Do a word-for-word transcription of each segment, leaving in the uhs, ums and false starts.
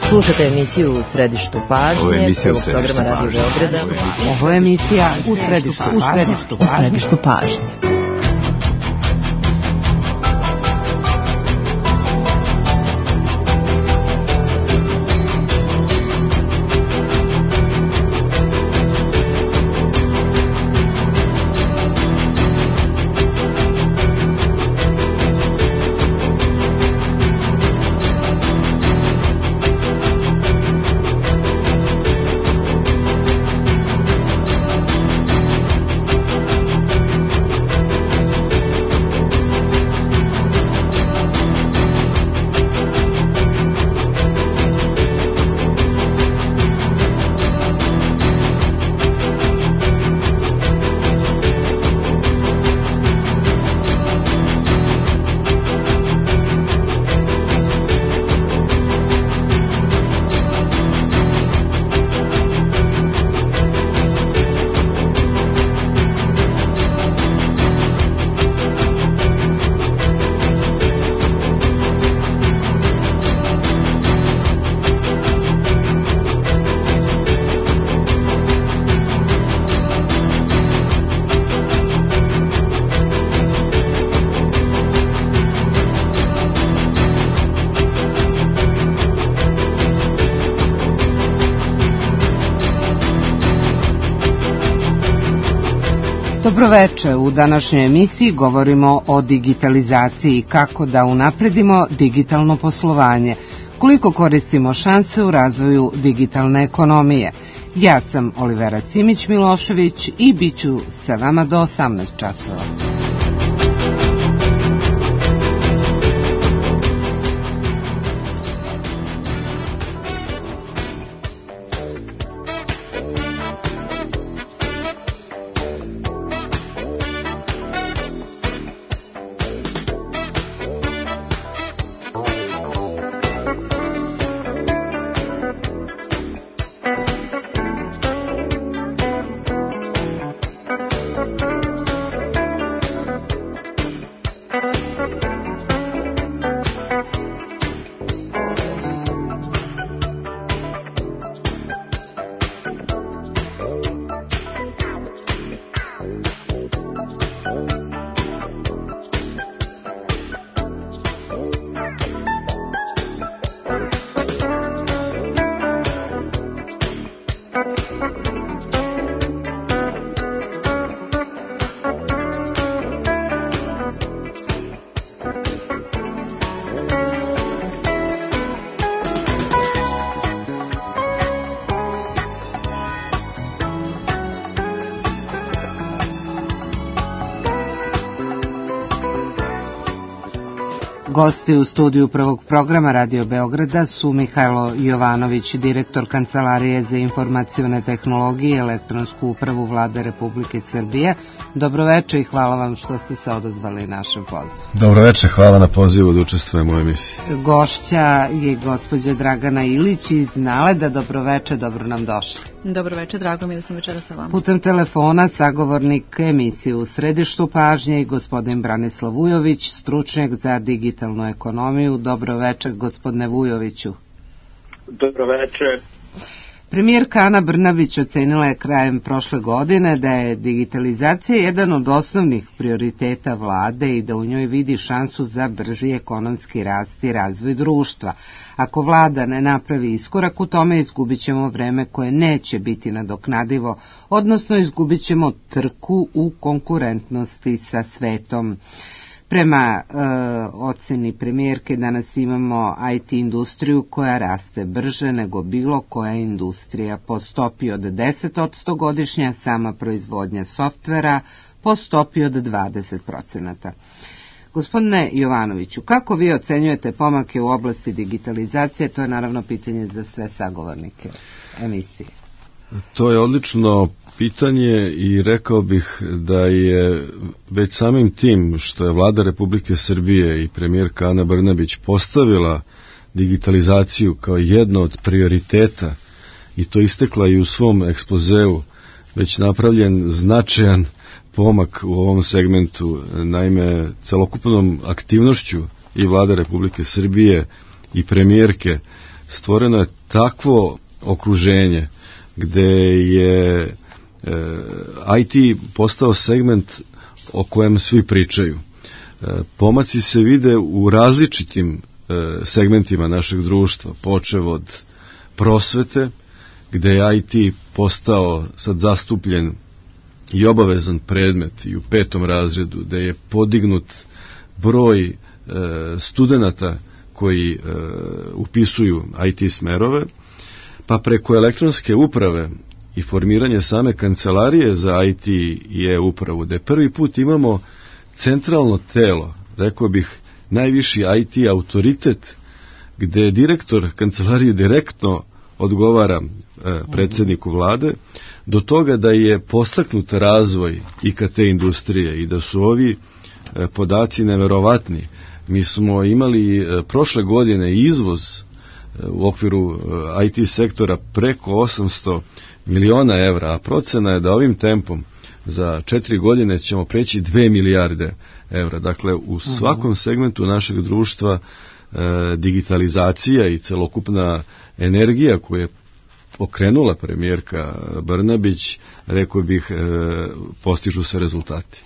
Slušate emisiju U središtu pažnje, prvog programa Radio Beograda. Ovo je emisija U središtu, u središtu, u središtu pažnje. Dobroveče, u današnjoj emisiji govorimo o digitalizaciji i kako da unapredimo digitalno poslovanje, koliko koristimo šanse u razvoju digitalne ekonomije. Ja sam Olivera Simić-Milošević i bit ću sa vama do osamnaest časova. Gosti u studiju prvog programa Radio Beograda su Mihajlo Jovanović, direktor Kancelarije za informacione tehnologije i elektronsku upravu Vlade Republike Srbije. Dobroveče i hvala vam što ste se odazvali našem pozivu. Dobroveče, hvala na pozivu da učestvujem u emisiji. Gošća je gospođa Dragana Ilić iz Naleda. Dobroveče, dobro nam došli. Dobroveče, drago mi je da sam večera sa vama. Putem telefona sagovornik emisije U središtu pažnje i gospodin Branislav Vujović, stručnjak za digitalnu ekonomiju. Dobroveče, gospodine Vujoviću. Dobroveče. Premijerka Ana Brnabić ocenila je krajem prošle godine da je digitalizacija jedan od osnovnih prioriteta vlade i da u njoj vidi šansu za brži ekonomski rast i razvoj društva. Ako vlada ne napravi iskorak u tome, izgubit ćemo vreme koje neće biti nadoknadivo, odnosno izgubit ćemo trku u konkurentnosti sa svetom. Prema e, oceni premijerke danas imamo I T industriju koja raste brže nego bilo koja industrija po stopi od deset posto godišnja, sama proizvodnja softvera po stopi od dvadeset posto. Gospodine Jovanoviću, kako vi ocenjujete pomake u oblasti digitalizacije? To je naravno pitanje za sve sagovornike emisije. To je odlično pitanje i rekao bih da je već samim tim što je Vlada Republike Srbije i premijerka Ana Brnabić postavila digitalizaciju kao jedno od prioriteta i to istekla i u svom ekspozeu, već napravljen značajan pomak u ovom segmentu. Naime, celokupnom aktivnošću i Vlade Republike Srbije i premijerke stvoreno je takvo okruženje gde je e, I T postao segment o kojem svi pričaju. E, pomaci se vide u različitim e, segmentima našeg društva, počev od prosvete, gde je I T postao sad zastupljen i obavezan predmet i u petom razredu, gde je podignut broj e, studenata koji e, upisuju I T smerove, pa preko elektronske uprave i formiranje same kancelarije za I T i e-upravu, gde prvi put imamo centralno telo, rekao bih najviši I T autoritet, gde direktor kancelarije direktno odgovara e, predsjedniku vlade, do toga da je podstaknut razvoj I K T industrije i da su ovi e, podaci neverovatni. Mi smo imali e, prošle godine izvoz e, u okviru e, I T sektora preko osamsto miliona evra, a procena je da ovim tempom za četiri godine ćemo preći dve milijarde evra. Dakle, u svakom segmentu našeg društva e, digitalizacija i celokupna energija koju je okrenula premijerka Brnabić, rekao bih, e, postižu se rezultati.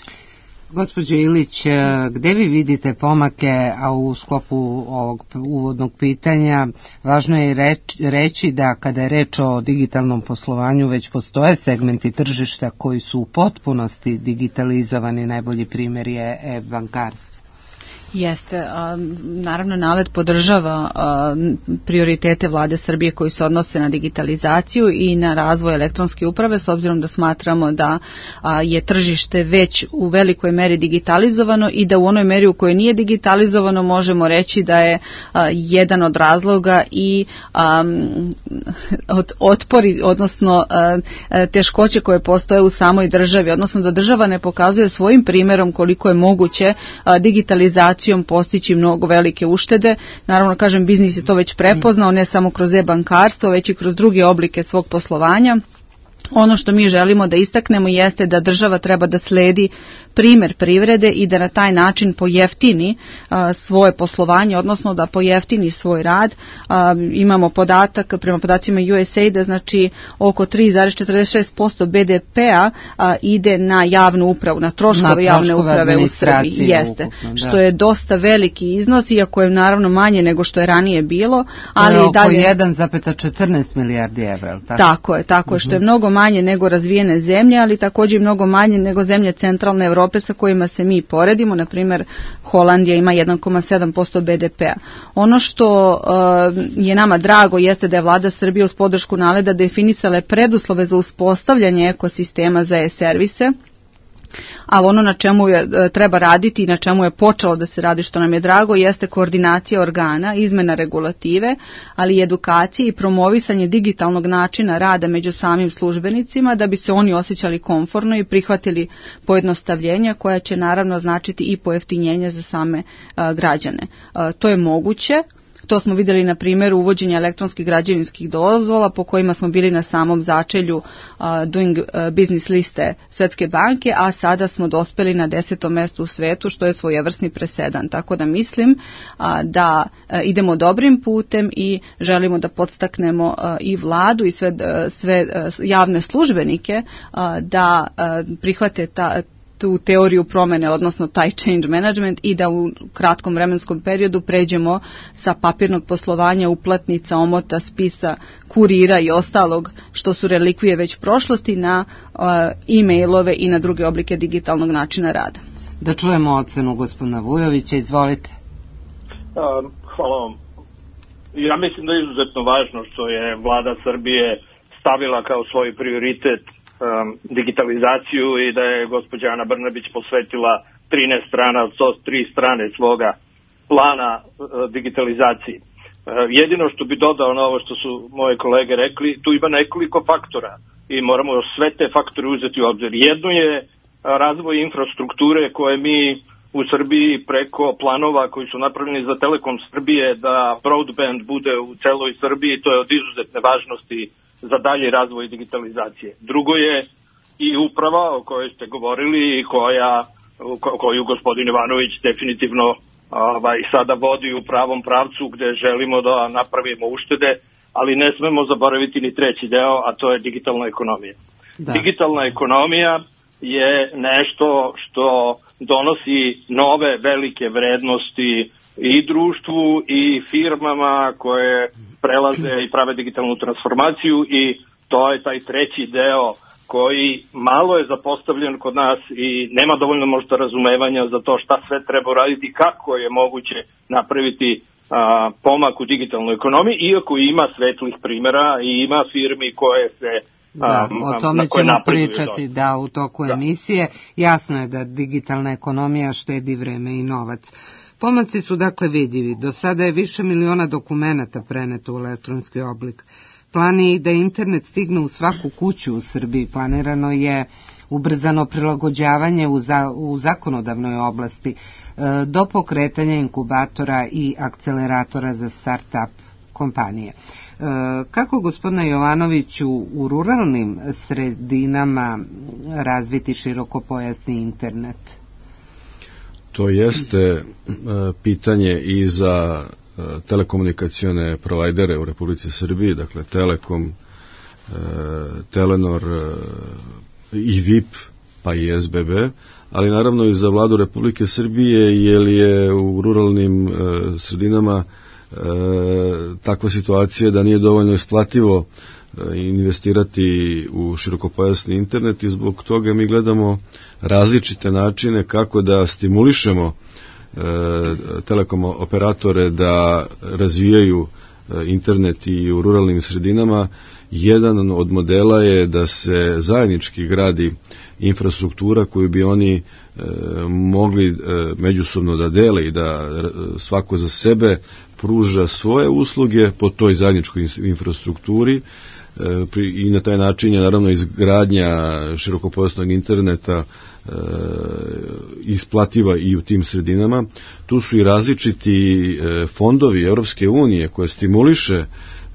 Gospođo Ilić, gde vi vidite pomake, a u sklopu ovog uvodnog pitanja važno je reći, reći da kada je reč o digitalnom poslovanju već postoje segmenti tržišta koji su u potpunosti digitalizovani, najbolji primjer je e-bankarstvo. Jeste, a, naravno NALED podržava a, prioritete vlade Srbije koji se odnose na digitalizaciju i na razvoj elektronske uprave, s obzirom da smatramo da a, je tržište već u velikoj meri digitalizovano i da u onoj meri u kojoj nije digitalizovano možemo reći da je a, jedan od razloga i a, od, otpori, odnosno a, teškoće koje postoje u samoj državi, odnosno da država ne pokazuje svojim primjerom koliko je moguće a, digitalizaciju postići mnogo velike uštede. Naravno, kažem, biznis je to već prepoznao, ne samo kroz e-bankarstvo, već i kroz druge oblike svog poslovanja. Ono što mi želimo da istaknemo jeste da država treba da sledi primjer privrede i da na taj način pojeftini a, svoje poslovanje, odnosno da pojeftini svoj rad. A, imamo podatak, prema podacima U S A I D, znači oko tri zarez četrdeset šest posto B D P-a a, ide na javnu upravu, na troškove, na javne uprave u Srbiji. Jeste, ukupno, što je dosta veliki iznos, iako je naravno manje nego što je ranije bilo. Ali oko dalje jedan zarez četrnaest milijardi evra. Tako? tako je, tako je, što je mnogo manje nego razvijene zemlje, ali također mnogo manje nego zemlje centralne Evrope sa kojima se mi poredimo. Na primjer, Holandija ima jedan zarez sedam posto B D P-a. Ono što uh, je nama drago jeste da je vlada Srbije uz podršku NALED-a definisala preduslove za uspostavljanje ekosistema za e-servise, ali ono na čemu je, treba raditi i na čemu je počelo da se radi, što nam je drago, jeste koordinacija organa, izmena regulative, ali i edukacije i promovisanje digitalnog načina rada među samim službenicima, da bi se oni osjećali komforno i prihvatili pojednostavljenja koja će naravno značiti i pojeftinjenje za same a, građane. A, to je moguće. To smo vidjeli na primjeru uvođenja elektronskih građevinskih dozvola po kojima smo bili na samom začelju uh, Doing Business liste Svetske banke, a sada smo dospeli na desetom mjestu u svetu, što je svojevrsni presedan. Tako da mislim uh, da uh, idemo dobrim putem i želimo da podstaknemo uh, i vladu i sve, uh, sve uh, javne službenike uh, da uh, prihvate ta tu teoriju promene, odnosno taj change management, i da u kratkom vremenskom periodu pređemo sa papirnog poslovanja, uplatnica, omota, spisa, kurira i ostalog što su relikvije već prošlosti na uh, e-mailove i na druge oblike digitalnog načina rada. Da čujemo ocenu gospodina Vujovića, izvolite. Um, hvala vam. Ja mislim da je izuzetno važno što je vlada Srbije stavila kao svoj prioritet digitalizaciju i da je gospođa Ana Brnabić posvetila trinaest strana od sto tri strane svoga plana digitalizaciji. Jedino što bi dodao na ovo što su moje kolege rekli, tu ima nekoliko faktora i moramo sve te faktore uzeti u obzir. Jedno je razvoj infrastrukture koje mi u Srbiji preko planova koji su napravljeni za Telekom Srbije da broadband bude u celoj Srbiji, to je od izuzetne važnosti za dalji razvoj digitalizacije. Drugo je i uprava o kojoj ste govorili i koja, koju gospodin Ivanović definitivno ovaj, sada vodi u pravom pravcu gde želimo da napravimo uštede, ali ne smemo zaboraviti ni treći deo, a to je digitalna ekonomija. Da. Digitalna ekonomija je nešto što donosi nove velike vrednosti i društvu i firmama koje prelaze i prave digitalnu transformaciju, i to je taj treći deo koji malo je zapostavljen kod nas i nema dovoljno možda razumevanja za to šta sve treba uraditi i kako je moguće napraviti a, pomak u digitalnoj ekonomiji, iako ima svetlih primjera i ima firmi koje se Da, o tome ćemo pričati da u toku da. emisije. Jasno je da digitalna ekonomija štedi vreme i novac. Pomaci su dakle vidljivi. Do sada je više miliona dokumenata preneto u elektronski oblik. Plan je da internet stigne u svaku kuću u Srbiji. Planirano je ubrzano prilagođavanje u, za, u zakonodavnoj oblasti e, do pokretanja inkubatora i akceleratora za start-up kompanije. E, kako, gospodine Jovanoviću, u ruralnim sredinama razviti širokopojasni internet? To jeste e, pitanje i za e, telekomunikacione provajdere u Republici Srbiji, dakle Telekom, e, Telenor e, i V I P, pa i S B B, ali naravno i za vladu Republike Srbije, jer je u ruralnim e, sredinama e, takva situacija da nije dovoljno isplativo e, investirati u širokopojasni internet, i zbog toga mi gledamo različite načine kako da stimulišemo e, telekom operatore da razvijaju e, internet i u ruralnim sredinama. Jedan od modela je da se zajednički gradi infrastruktura koju bi oni e, mogli e, međusobno da dele i da e, svako za sebe pruža svoje usluge po toj zajedničkoj infrastrukturi, e, pri, i na taj način je naravno izgradnja širokopojasnog interneta e, isplativa i u tim sredinama. Tu su i različiti e, fondovi Evropske unije koje stimuliše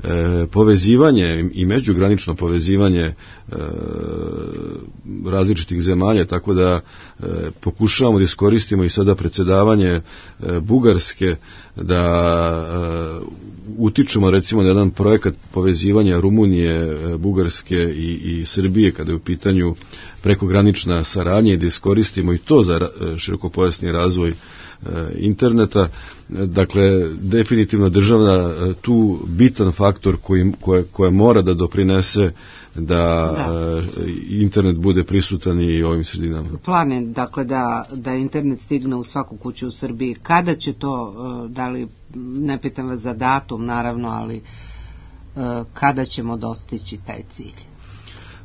E, povezivanje i međugranično povezivanje e, različitih zemalja, tako da e, pokušavamo da iskoristimo i sada predsjedavanje e, Bugarske, da e, utičemo recimo na jedan projekat povezivanja Rumunije, e, Bugarske i, i Srbije kada je u pitanju prekogranična saradnja, i da iskoristimo i to za e, širokopojasni razvoj interneta. Dakle, definitivno država tu bitan faktor koji, koje, koje mora da doprinese da, da internet bude prisutan i ovim sredinama. Plan je, dakle, da, da internet stigne u svaku kuću u Srbiji. Kada će to, da li, ne pitam vas za datum naravno, ali kada ćemo dostići taj cilj?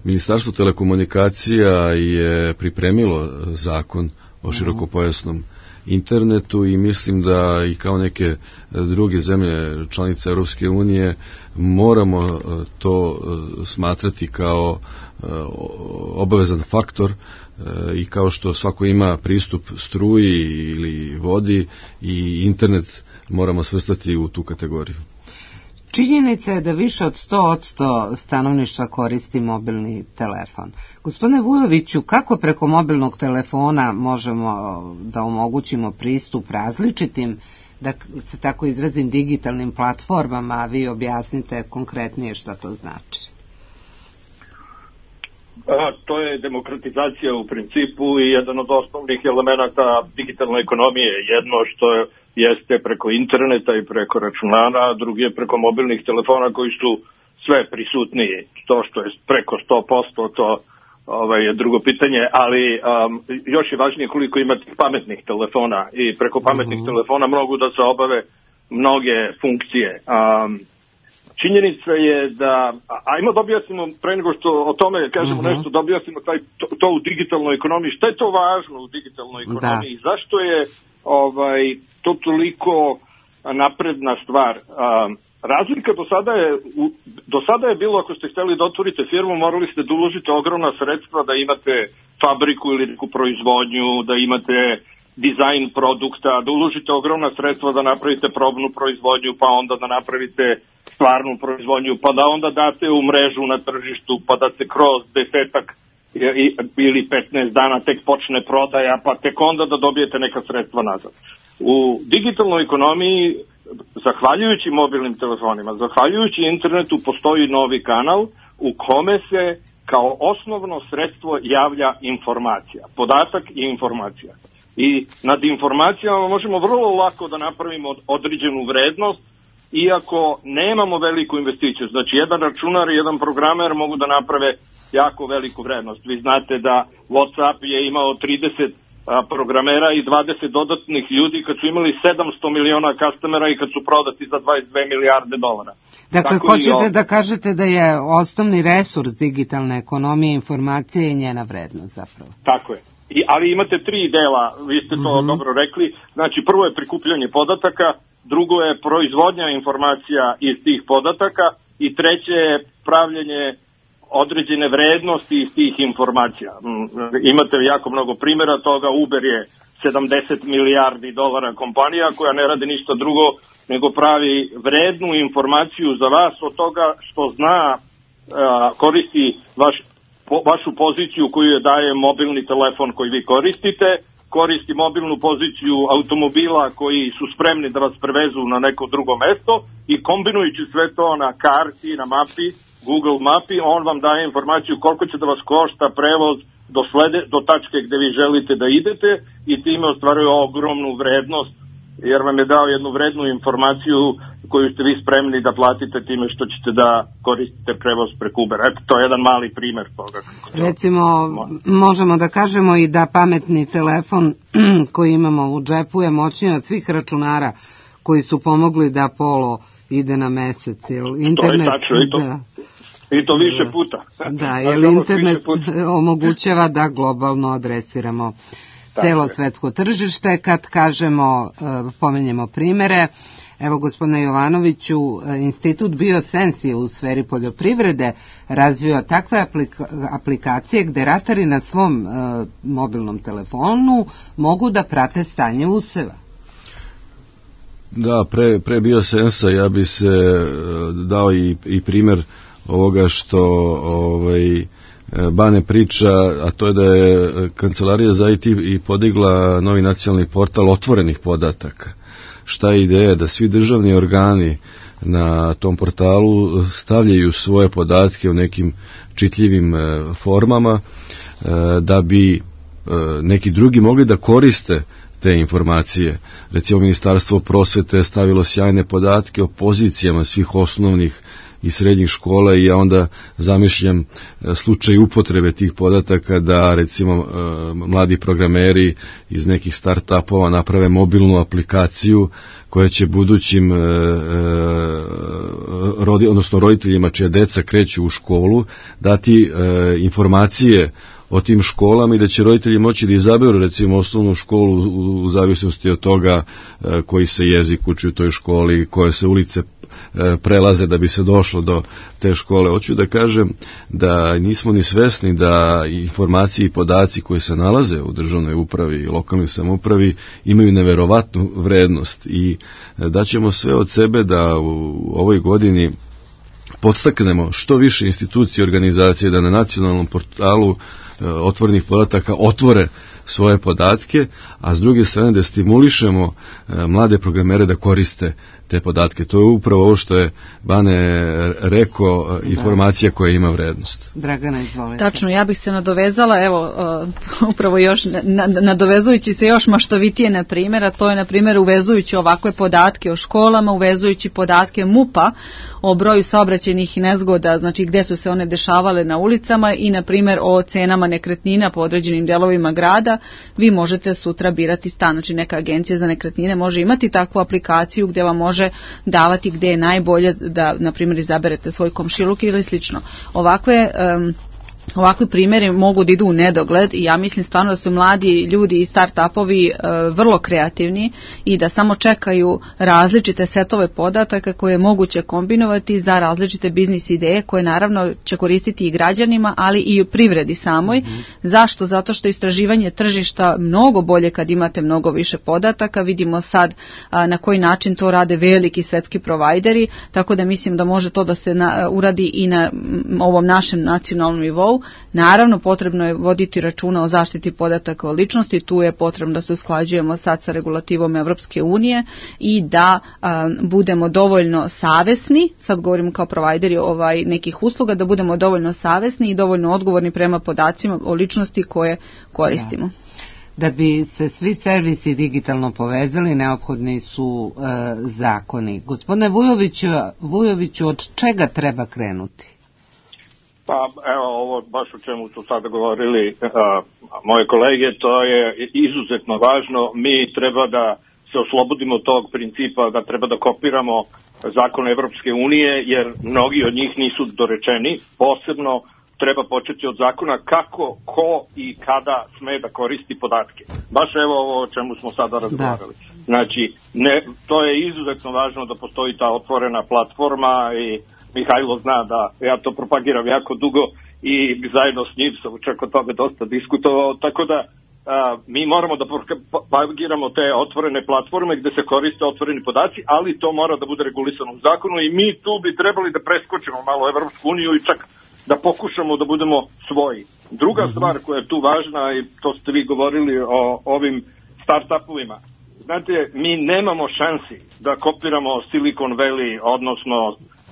Ministarstvo telekomunikacija je pripremilo zakon o širokopojasnom internetu, i mislim da i kao neke druge zemlje članice Europske unije moramo to smatrati kao obavezan faktor, i kao što svako ima pristup struji ili vodi, i internet moramo svrstati u tu kategoriju. Činjenica je da više od sto posto stanovništva koristi mobilni telefon. Gospodine Vujoviću, kako preko mobilnog telefona možemo da omogućimo pristup različitim, da se tako izrazim, digitalnim platformama, a vi objasnite konkretnije šta to znači? A, to je demokratizacija u principu i jedan od osnovnih elemenata digitalne ekonomije. Jedno što je jeste preko interneta i preko računara, a drugi je preko mobilnih telefona koji su sve prisutniji. To što je preko sto posto, to ovaj, je drugo pitanje, ali um, još je važnije koliko ima tih pametnih telefona, i preko pametnih uh-huh. telefona mogu da se obave mnoge funkcije. Um, činjenica je da, ajmo da objasnimo, pre nego što o tome kažemo uh-huh. nešto, da objasnimo taj, to, to u digitalnoj ekonomiji. Šta je to važno u digitalnoj ekonomiji? Da. Zašto je ovaj, to toliko napredna stvar? Um, razlika do sada je, u, do sada je bilo, ako ste hteli da otvorite firmu, morali ste da uložite ogromna sredstva, da imate fabriku ili neku proizvodnju, da imate dizajn produkta, da uložite ogromna sredstva da napravite probnu proizvodnju, pa onda da napravite stvarnu proizvodnju, pa da onda date u mrežu na tržištu, pa da se kroz desetak ili petnaest dana tek počne prodaja, pa tek onda da dobijete neka sredstva nazad. U digitalnoj ekonomiji, zahvaljujući mobilnim telefonima, zahvaljujući internetu, postoji novi kanal u kome se kao osnovno sredstvo javlja informacija, podatak i informacija. I nad informacijama možemo vrlo lako da napravimo određenu vrednost, iako nemamo veliku investiciju. Znači, jedan računar i jedan programer mogu da naprave jako veliku vrednost. Vi znate da WhatsApp je imao trideset programera i dvadeset dodatnih ljudi kad su imali sedamsto miliona customera i kad su prodati za dvadeset dve milijarde dolara. Dakle, tako hoćete da kažete da je osnovni resurs digitalne ekonomije informacija i njena vrednost zapravo. Tako je. I, ali imate tri dela, vi ste to mm-hmm. dobro rekli. Znači, prvo je prikupljanje podataka, drugo je proizvodnja informacija iz tih podataka i treće je pravljenje određene vrednosti iz tih informacija. Imate jako mnogo primjera toga. Uber je sedamdeset milijardi dolara kompanija koja ne radi ništa drugo nego pravi vrednu informaciju za vas od toga što zna, koristi vaš, po, vašu poziciju koju je daje mobilni telefon koji vi koristite, koristi mobilnu poziciju automobila koji su spremni da vas prevezu na neko drugo mesto i kombinujući sve to na karti, na mapi, Google mapi, on vam daje informaciju koliko će da vas košta prevoz do, slede, do tačke gde vi želite da idete i time ostvaruje ogromnu vrednost, jer vam je dao jednu vrednu informaciju koju ste vi spremni da platite time što ćete da koristite prevoz preko Ubera. Eto, to je jedan mali primer toga. Recimo, možemo da kažemo i da pametni telefon koji imamo u džepu je moćniji od svih računara koji su pomogli da Apollo ide na mesec. Internet, to je tačno, i to, da. I to više puta. Da, jer internet omogućava da globalno adresiramo celo svetsko tržište. Kad kažemo, pomenjemo primere, evo gospodine Jovanoviću, Institut BioSense je u sferi poljoprivrede razvio takve aplika- aplikacije gde ratari na svom uh, mobilnom telefonu mogu da prate stanje useva. Da, pre, pre BioSensa ja bi se dao i, i primjer ovoga što ovaj, Bane priča, a to je da je Kancelarija za I T i podigla novi nacionalni portal otvorenih podataka. Šta je ideja? Da svi državni organi na tom portalu stavljaju svoje podatke u nekim čitljivim formama da bi neki drugi mogli da koriste te informacije. Recimo, Ministarstvo prosvete stavilo sjajne podatke o pozicijama svih osnovnih i srednjih škola i ja onda zamišljam slučaj upotrebe tih podataka da recimo mladi programeri iz nekih start-upova naprave mobilnu aplikaciju koja će budućim rodi, odnosno roditeljima čija deca kreću u školu dati informacije o tim školama i da će roditelji moći da izaberu recimo osnovnu školu u zavisnosti od toga koji se jezik uči u toj školi, koje se ulice prelaze da bi se došlo do te škole. Hoću da kažem da nismo ni svesni da informacije i podaci koji se nalaze u državnoj upravi i lokalnoj samoupravi imaju neverovatnu vrednost i daćemo sve od sebe da u ovoj godini podstaknemo što više institucije i organizacije da na nacionalnom portalu otvorenih podataka otvore svoje podatke, a s druge strane da stimulišemo mlade programere da koriste te podatke. To je upravo ovo što je Bane rekao, informacija koja ima vrednost. Dragana, izvolite. Tačno, ja bih se nadovezala, evo, uh, upravo još, na, nadovezujući se još maštovitije na primjer, a to je na primjer uvezujući ovakve podatke o školama, uvezujući podatke MUP-a o broju saobraćajnih nezgoda, znači gde su se one dešavale na ulicama i na primjer o cenama nekretnina po određenim delovima grada, vi možete sutra birati stan. Znači neka agencija za nekretnine može imati takvu aplikaciju gdje vam može davati gdje je najbolje da, na primjer, izaberete svoj komšiluk ili slično. Ovakve um, Ovakvi primjeri mogu da idu u nedogled i ja mislim stvarno da su mladi ljudi i start-upovi e, vrlo kreativni i da samo čekaju različite setove podataka koje je moguće kombinovati za različite biznis ideje koje naravno će koristiti i građanima, ali i u privredi samoj. Mm-hmm. Zašto? Zato što istraživanje tržišta mnogo bolje kad imate mnogo više podataka. Vidimo sad a, na koji način to rade veliki svetski provajderi, tako da mislim da može to da se na, uradi i na m, ovom našem nacionalnom nivou. Naravno, potrebno je voditi računa o zaštiti podataka o ličnosti, tu je potrebno da se usklađujemo sad sa regulativom Evropske unije i da a, budemo dovoljno savesni, sad govorimo kao provajderi ovaj, nekih usluga, da budemo dovoljno savesni i dovoljno odgovorni prema podacima o ličnosti koje koristimo. Da bi se svi servisi digitalno povezali, neophodni su e, zakoni. Gospodine Vujoviću, Vujoviću, od čega treba krenuti? Pa evo ovo baš o čemu su sada govorili uh, moje kolege, to je izuzetno važno. Mi treba da se oslobodimo tog principa da treba da kopiramo zakon Evropske unije, jer mnogi od njih nisu dorečeni. Posebno treba početi od zakona kako, ko i kada sme da koristi podatke. Baš evo ovo o čemu smo sada razgovarali. Da. Znači, ne, to je izuzetno važno da postoji ta otvorena platforma i Mihajlo zna da ja to propagiram jako dugo i zajedno s njim sam čak o tome dosta diskutovao, tako da a, mi moramo da propagiramo te otvorene platforme gde se koriste otvoreni podaci, ali to mora da bude regulisano u zakonu i mi tu bi trebali da preskočimo malo Evropsku uniju i čak da pokušamo da budemo svoji. Druga stvar koja je tu važna, i to ste vi govorili o ovim start-upovima, znate, mi nemamo šansi da kopiramo Silicon Valley, odnosno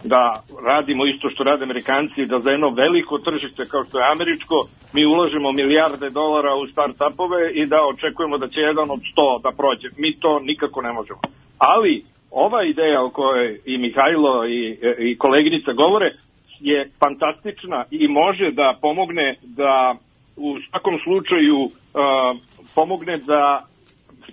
da radimo isto što rade Amerikanci, da za jedno veliko tržište kao što je američko, mi ulažemo milijarde dolara u start-upove i da očekujemo da će jedan od sto da prođe. Mi to nikako ne možemo. Ali ova ideja o kojoj i Mihajlo i, i koleginica govore je fantastična i može da pomogne da u svakom slučaju uh, pomogne da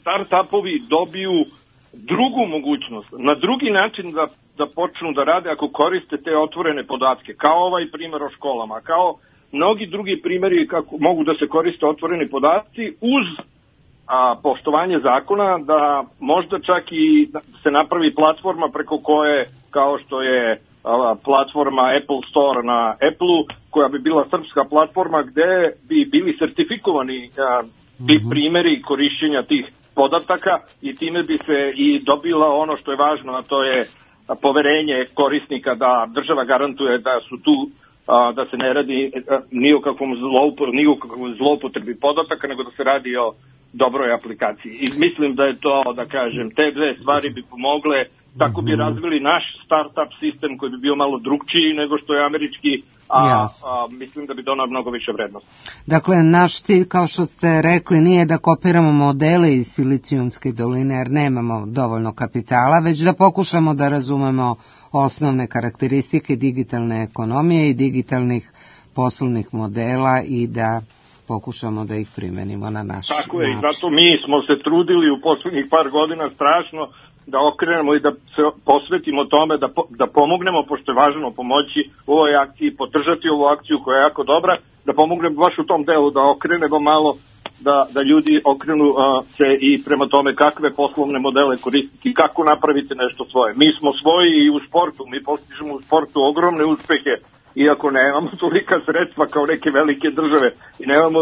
start-upovi dobiju drugu mogućnost, na drugi način da, da počnu da rade ako koriste te otvorene podatke, kao ovaj primjer o školama, kao mnogi drugi primjeri kako mogu da se koriste otvoreni podaci uz a, poštovanje zakona, da možda čak i se napravi platforma preko koje, kao što je a, platforma Apple Store na Apple-u, koja bi bila srpska platforma gde bi bili sertifikovani a, ti primjeri korišćenja tih podataka i time bi se i dobila ono što je važno, a to je poverenje korisnika da država garantuje da su tu, da se ne radi ni o kakvom zloupotrebi, ni o kakvom zloupotrebi podataka, nego da se radi o dobroj aplikaciji. I mislim da je to, da kažem, te dve stvari bi pomogle, tako bi razvili naš startup sistem koji bi bio malo drugčiji nego što je američki, a, yes. a mislim da bi donao mnogo više vrednosti. Dakle, naš cilj, kao što ste rekli, nije da kopiramo modele iz Silicijumske doline, jer nemamo dovoljno kapitala, već da pokušamo da razumemo osnovne karakteristike digitalne ekonomije i digitalnih poslovnih modela i da pokušamo da ih primenimo na naš način. Tako je, i zato mi smo se trudili u poslednjih par godina strašno da okrenemo i da se posvetimo tome, da, po, da pomognemo, pošto je važno pomoći u ovoj akciji, podržati ovu akciju koja je jako dobra, da pomognemo baš u tom delu, da okrenemo malo, da, da ljudi okrenu uh, se i prema tome kakve poslovne modele koristiti, kako napraviti nešto svoje. Mi smo svoji i u sportu, mi postižemo u sportu ogromne uspehe, iako nemamo tolika sredstva kao neke velike države i nemamo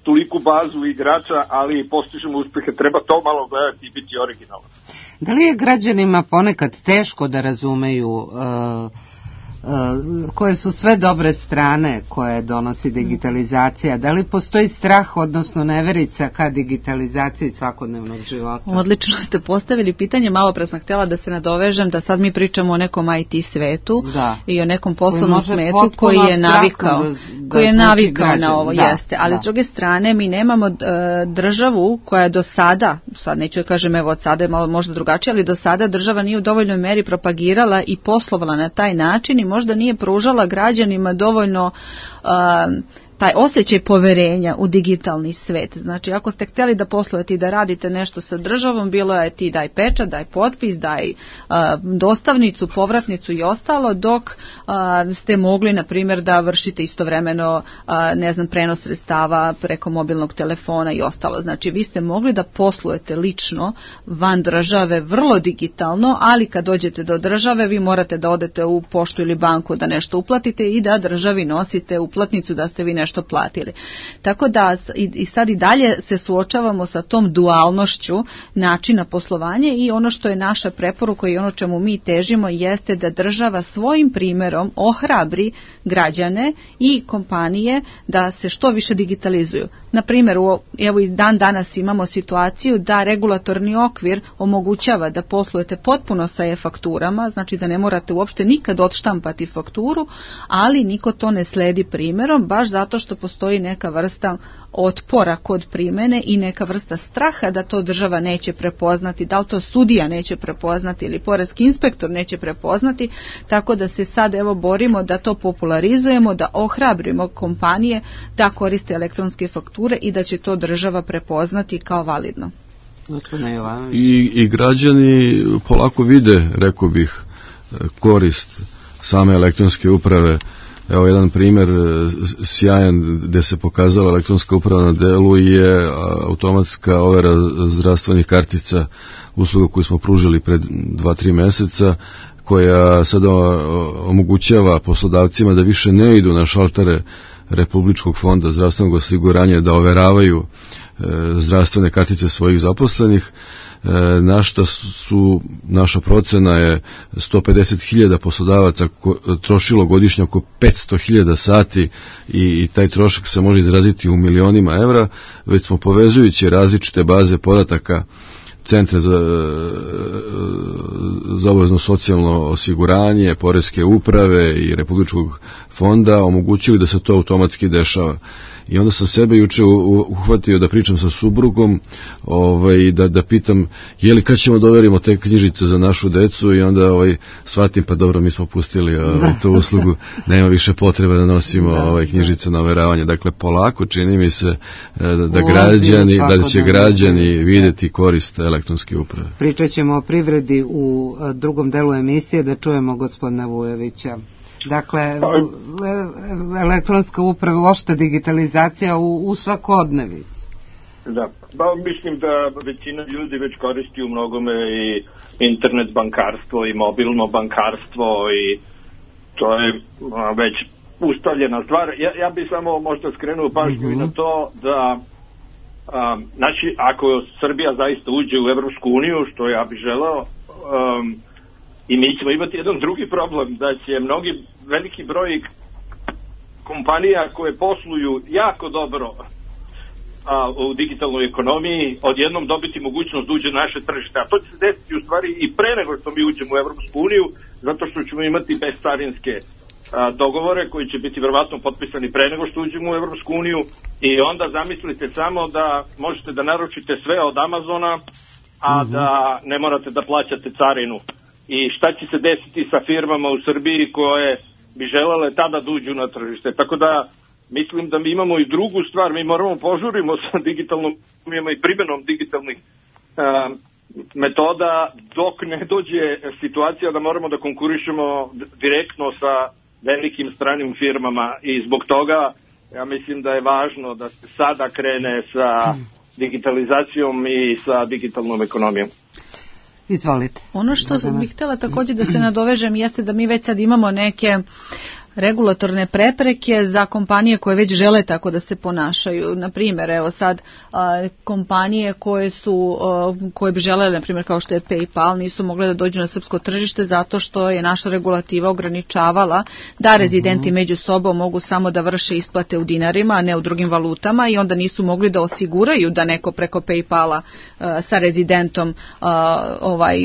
toliku bazu igrača, ali postižemo uspehe. Treba to malo gledati i biti originalno. Da li je građanima ponekad teško da razumeju uh, uh, koje su sve dobre strane koje donosi digitalizacija? Da li postoji strah, odnosno neverica ka digitalizaciji svakodnevnog života? Odlično ste postavili pitanje, malo pre sam htjela da se nadovežem da sad mi pričamo o nekom I T svetu da. I o nekom poslovnom smetu koji je navikao, da, da koji je navikao građan. Na ovo, da, jeste. Ali da. S druge strane mi nemamo uh, državu koja do sada, sad neću da kažem evo od sada je malo možda drugačije, ali do sada država nije u dovoljnoj meri propagirala i poslovala na taj način i možda nije pružala građanima dovoljno uh, taj osjećaj poverenja u digitalni svet. Znači, ako ste htjeli da poslujete i da radite nešto sa državom, bilo je ti daj pečat, daj potpis, daj uh, dostavnicu, povratnicu i ostalo, dok uh, ste mogli, na primjer, da vršite istovremeno, uh, ne znam, prenos sredstava preko mobilnog telefona i ostalo. Znači, vi ste mogli da poslujete lično van države vrlo digitalno, ali kad dođete do države, vi morate da odete u poštu ili banku da nešto uplatite i da državi nosite uplatnicu da ste vi nešto nešto platili. Tako da i, i sad i dalje se suočavamo sa tom dualnošću načina poslovanja i ono što je naša preporuka i ono čemu mi težimo jeste da država svojim primjerom ohrabri građane i kompanije da se što više digitalizuju. Na primjer, evo i dan danas imamo situaciju da regulatorni okvir omogućava da poslujete potpuno sa e-fakturama, znači da ne morate uopšte nikad odštampati fakturu, ali niko to ne sledi primjerom, baš zato što postoji neka vrsta otpora kod primjene i neka vrsta straha da to država neće prepoznati, da li to sudija neće prepoznati ili poreski inspektor neće prepoznati, tako da se sad evo borimo da to popularizujemo, da ohrabrimo kompanije da koriste elektronske fakture i da će to država prepoznati kao validno. I, i građani polako vide, rekao bih, korist same elektronske uprave. Evo jedan primjer sjajan gdje se pokazala elektronska uprava na delu je automatska overa zdravstvenih kartica, usluga koju smo pružili pred dva, tri mjeseca, koja sada omogućava poslodavcima da više ne idu na šaltere Republičkog fonda zdravstvenog osiguranja da overavaju zdravstvene kartice svojih zaposlenih, na što su, naša procena je sto pedeset hiljada poslodavaca ko, trošilo godišnje oko petsto hiljada sati i, i taj trošak se može izraziti u milionima evra, već smo povezujući različite baze podataka centre za, za obavezno socijalno osiguranje, poreske uprave i Republičkog fonda omogućili da se to automatski dešava. I onda sam sebe juče uhvatio da pričam sa suprugom, ovaj, da, da pitam je li kad ćemo da overimo te knjižice za našu decu i onda ovaj, shvatim pa dobro mi smo pustili ovaj, tu uslugu, nema više potrebe da nosimo ovaj, knjižice na overavanje. Dakle polako čini mi se da, da građani, da će građani vidjeti korist elektronske uprave. Pričat ćemo o privredi u drugom delu emisije, da čujemo gospodina Vujovića. Dakle, elektronska uprava, uopšte digitalizacija u, u svakodnevici. Da, ba, mislim da većina ljudi već koristi u mnogome i internet bankarstvo i mobilno bankarstvo i to je a, već ustavljena stvar. Ja, ja bih samo možda skrenuo pažnju mm-hmm. i na to da a, znači, ako Srbija zaista uđe u Evropsku uniju, što ja bih želeo, um, i mi ćemo imati jedan drugi problem, da će mnogi, veliki broj kompanija koje posluju jako dobro a, u digitalnoj ekonomiji, odjednom dobiti mogućnost da uđe na naše tržište. A to će se desiti u stvari i pre nego što mi uđemo u Evropsku uniju, zato što ćemo imati bezcarinske dogovore koji će biti verovatno potpisani pre nego što uđemo u Evropsku uniju i onda zamislite samo da možete da naručite sve od Amazona, a mm-hmm. da ne morate da plaćate carinu. I šta će se desiti sa firmama u Srbiji koje bi želele tada da uđu na tržište. Tako da mislim da mi imamo i drugu stvar, mi moramo požurimo sa digitalnom i primjenom digitalnih a, metoda dok ne dođe situacija da moramo da konkurišemo direktno sa velikim stranim firmama i zbog toga ja mislim da je važno da se sada krene sa digitalizacijom i sa digitalnom ekonomijom. Izvolite. Ono što bih htjela također da se nadovežem jeste da mi već sad imamo neke regulatorne prepreke za kompanije koje već žele tako da se ponašaju. Na primjer, evo sad a, kompanije koje su a, koje bi želele, na primjer kao što je PayPal, nisu mogle da dođu na srpsko tržište zato što je naša regulativa ograničavala da rezidenti uh-huh. među sobom mogu samo da vrše isplate u dinarima, a ne u drugim valutama i onda nisu mogli da osiguraju da neko preko PayPala a, sa rezidentom a, ovaj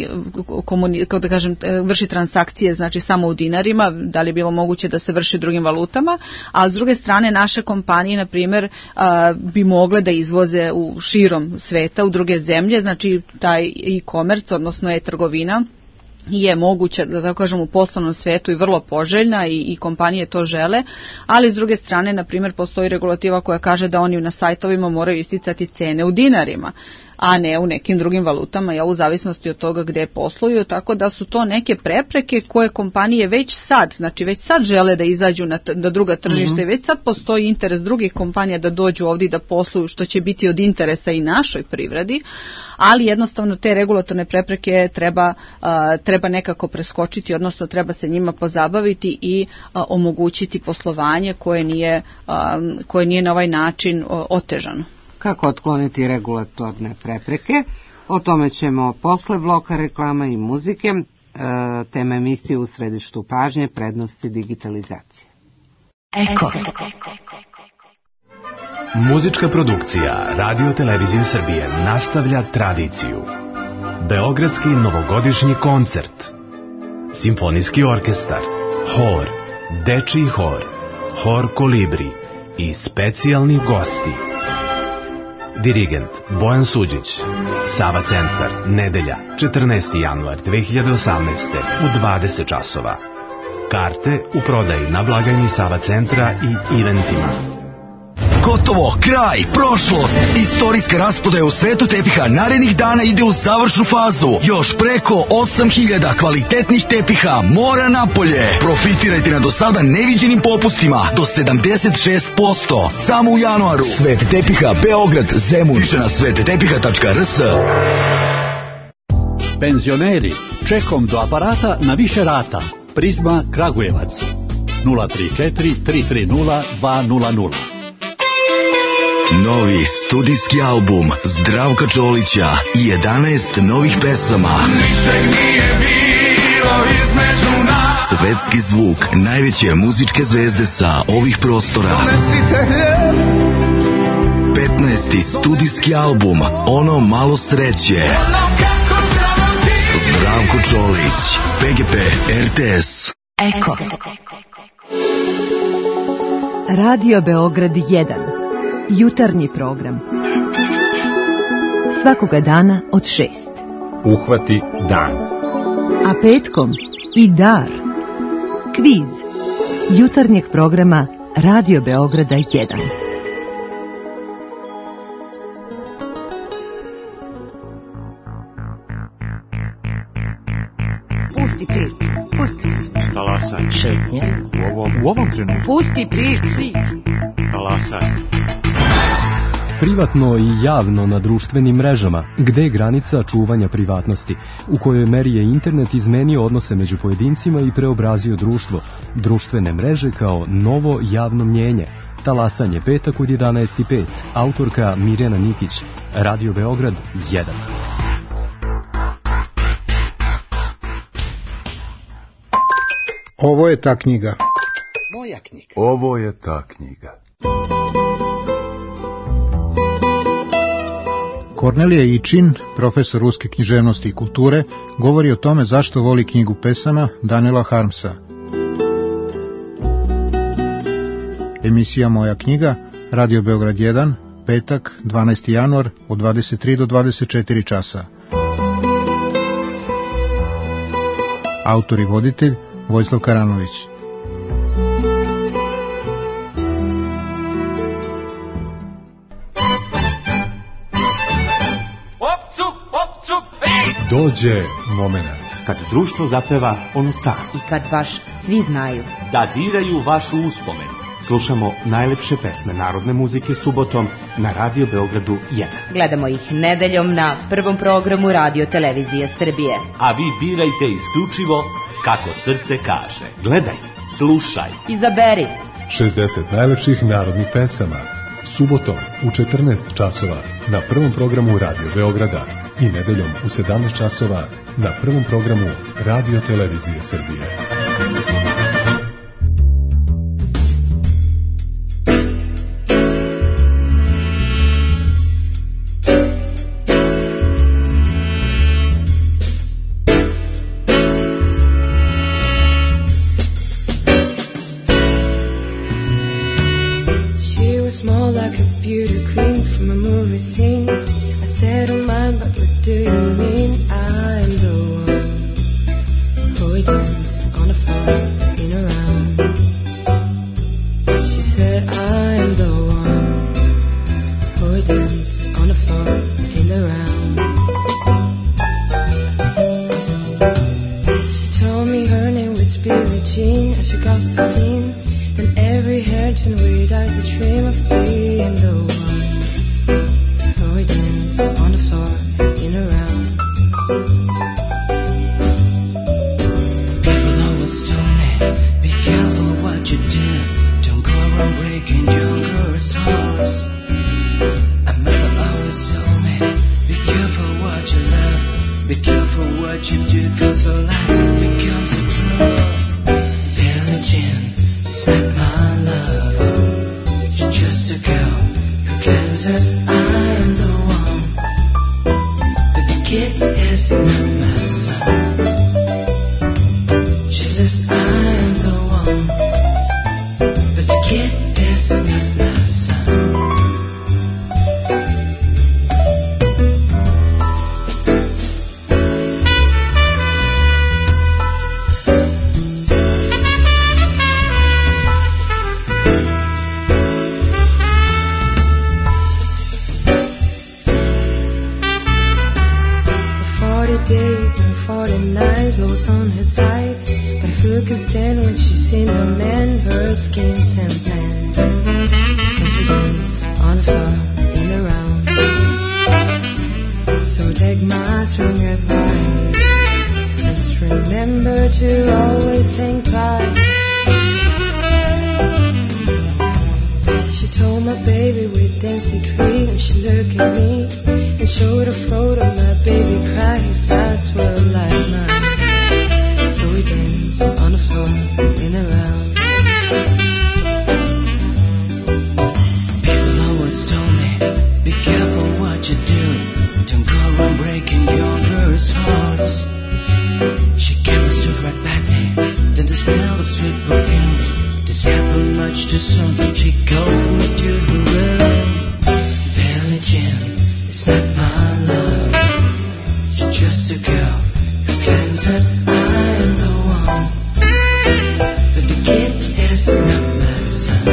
komuni, kao da kažem vrši transakcije znači samo u dinarima, da li je bilo moguće da se vrši drugim valutama, a s druge strane naše kompanije, na primjer, bi mogle da izvoze u širom sveta, u druge zemlje, znači taj e-commerce, odnosno e-trgovina, je moguća, da tako kažem, u poslovnom svetu i vrlo poželjna i, i kompanije to žele, ali s druge strane, na primjer, postoji regulativa koja kaže da oni na sajtovima moraju isticati cene u dinarima. a ne u nekim drugim valutama, ja, u zavisnosti od toga gde posluju, tako da su to neke prepreke koje kompanije već sad, znači već sad žele da izađu na, t- na druga tržišta mm-hmm. i već sad postoji interes drugih kompanija da dođu ovdje i da posluju, što će biti od interesa i našoj privredi, ali jednostavno te regulatorne prepreke treba, uh, treba nekako preskočiti, odnosno treba se njima pozabaviti i uh, omogućiti poslovanje koje nije, uh, koje nije na ovaj način uh, otežano. Kako otkloniti regulatorne prepreke? O tome ćemo posle bloka reklama i muzike. E, tema emisije u središtu pažnje, prednosti digitalizacije. Eko. Muzička produkcija Radio Televizije Srbije nastavlja tradiciju. Beogradski novogodišnji koncert, simfonijski orkestar, hor, dečiji hor, hor Kolibri i specijalni gosti. Dirigent Bojan Suđić. Sava centar, nedelja, četrnaesti januar dve hiljade osamnaeste u dvadeset časova. Karte u prodaji na blagajni Sava centra i eventima. Gotovo, kraj, prošlost. Istorijska rasprodaja u svetu tepiha narednih dana ide u završnu fazu. Još preko osam hiljada kvalitetnih tepiha mora napolje. Profitirajte na do sada neviđenim popustima do sedamdeset šest posto. Samo u januaru. Svet tepiha Beograd, Zemun. Više na svet tepiha tačka r s. Penzioneri, čekom do aparata na više rata. Prizma Kragujevac. nula tri četiri tri tri nula dva nula nula. Novi studijski album Zdravka Čolića i jedanaest novih pesama. Ničeg nije bilo između nas. Svetski zvuk najveće muzičke zvezde sa ovih prostora. petnaesti studijski album Ono malo sreće. Zdravko Čolić, P G P, R T S. Eko. Radio Beograd jedan. Jutarnji program. Svakoga dana od šest. Uhvati dan. A petkom i dar. Kviz. Jutarnjeg programa Radio Beograda jedan. Pusti priču. Pusti priču. Talasaj. Šetnje. U ovom, u ovom trenutku. Pusti priču. Talasaj. Privatno i javno na društvenim mrežama, gde je granica čuvanja privatnosti, u kojoj meri je internet izmenio odnose među pojedincima i preobrazio društvo, društvene mreže kao novo javno mnjenje. Talasanje, petak od jedanaest i pet, autorka Mirjana Nikić, Radio Beograd jedan. Ovo je ta knjiga. Moja knjiga. Ovo je ta knjiga. Kornelija Ičin, profesor ruske književnosti i kulture, govori o tome zašto voli knjigu pesama Daniela Harmsa. Emisija Moja knjiga, Radio Beograd jedan, petak, dvanaesti januar, od dvadeset tri do dvadeset četiri časa. Autor i voditelj Vojislav Karanović. Dođe moment. Kad društvo zapeva onu staru. I kad baš svi znaju. Da diraju vašu uspomenu. Slušamo najlepše pesme narodne muzike subotom na Radio Beogradu jedan. Gledamo ih nedeljom na prvom programu Radio Televizije Srbije. A vi birajte isključivo kako srce kaže. Gledaj, slušaj. Izaberi. šezdeset najlepših narodnih pesama. Subotom u četrnaest časova na prvom programu Radio Beograda i nedeljom u sedamnaest časova na prvom programu Radio Televizije Srbije. Do you mean I'm the one who dance on the floor? she crosses the scene, then every hair turned weird eyes a dream of being the one. Oh, we dance on the floor, in a round. People always told me, be careful what you do. Don't go around breaking young girls' hearts. And mother always told me, be careful what you love. Be careful what you do, cause a life becomes a truth. Billie Jean is not my love. She's just a girl who claims that I am the one. But the kid is not my son. She says I am the one. But the kid is not my son. Days and forty nights, Lois on his side, but who can stand when she's seen the men, her schemes and plans? As we dance on the floor in the round, so take my string advice, just remember to always think twice. She told my baby we'd dance secret, and she looked at me and showed a photo of my baby cry. His eyes were like mine. So we dance on the floor in a round. People always told me, be careful what you do. Don't go around breaking your girl's hearts. She came and stood right back me. Then the smell of sweet perfume. This happened much too soon. She called me to her room. Billie Jean is not my love. She's just a girl who claims that I am the one. But the kid is not my son.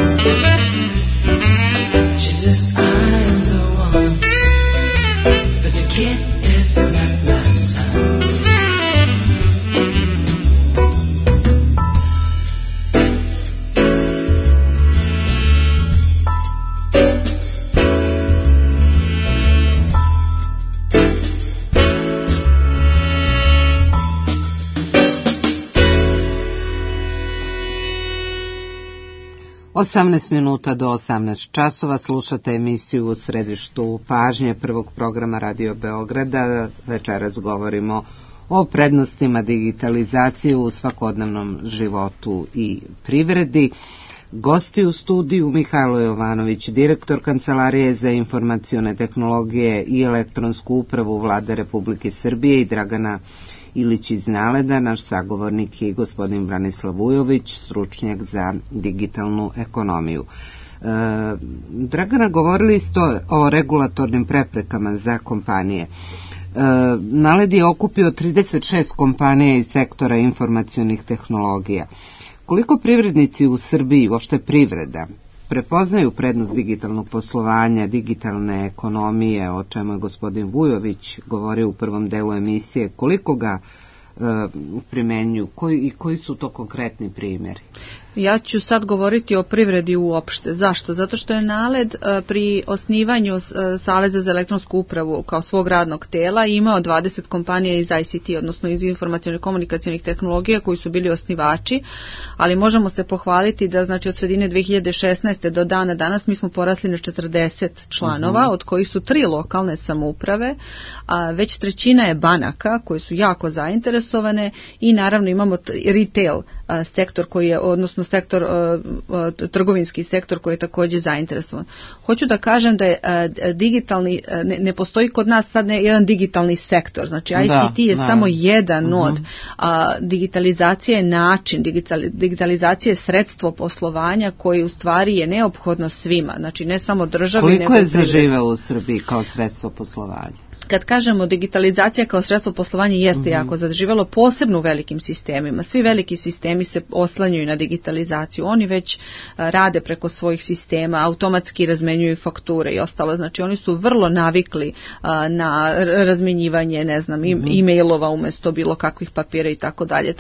She says I am the one. But the kid is not my son. osamnaest minuta do osamnaest časova slušate emisiju U središtu pažnje prvog programa Radio Beograda. Večeras govorimo o prednostima digitalizacije u svakodnevnom životu i privredi. Gosti u studiju Mihajlo Jovanović, direktor Kancelarije za informacione tehnologije i elektronsku upravu Vlade Republike Srbije, i Dragana Ilić iz Naleda, naš sagovornik je gospodin Branislav Vujović, stručnjak za digitalnu ekonomiju. E, Dragana, govorili ste o regulatornim preprekama za kompanije. E, Naled je okupio trideset šest kompanija iz sektora informacionih tehnologija. Koliko privrednici u Srbiji, uopšte privreda, prepoznaju prednost digitalnog poslovanja, digitalne ekonomije, o čemu je gospodin Vujović govorio u prvom delu emisije, koliko ga e, primenjuju koji, i koji su to konkretni primjeri? Ja ću sad govoriti o privredi uopšte. Zašto? Zato što je Naled pri osnivanju Saveza za elektronsku upravu kao svog radnog tela imao dvadeset kompanija iz I C T, odnosno iz informacionih komunikacionih tehnologija koji su bili osnivači, ali možemo se pohvaliti da znači od sredine dve hiljade šesnaeste do dana danas mi smo porasli na četrdeset članova, uh-huh. od kojih su tri lokalne samouprave, a već trećina je banaka koje su jako zainteresovane i naravno imamo retail sektor koji je, odnosno sektor, uh, trgovinski sektor koji je također zainteresovan. Hoću da kažem da je uh, digitalni, uh, ne, ne postoji kod nas sad ne, jedan digitalni sektor, znači I C T da, je da. samo jedan uh-huh. od, a digitalizacija je način, digitali, digitalizacija je sredstvo poslovanja koji u stvari je neophodno svima, znači ne samo državi. Koliko nego je zaživeo u Srbiji kao sredstvo poslovanja? Kad kažemo digitalizacija kao sredstvo poslovanja jeste mm-hmm. jako zaživjelo, posebno u velikim sistemima. Svi veliki sistemi se oslanjuju na digitalizaciju. Oni već rade preko svojih sistema, automatski razmenjuju fakture i ostalo. Znači oni su vrlo navikli na razmenjivanje, ne znam, mm-hmm. e-mailova umjesto bilo kakvih papira i tako dalje.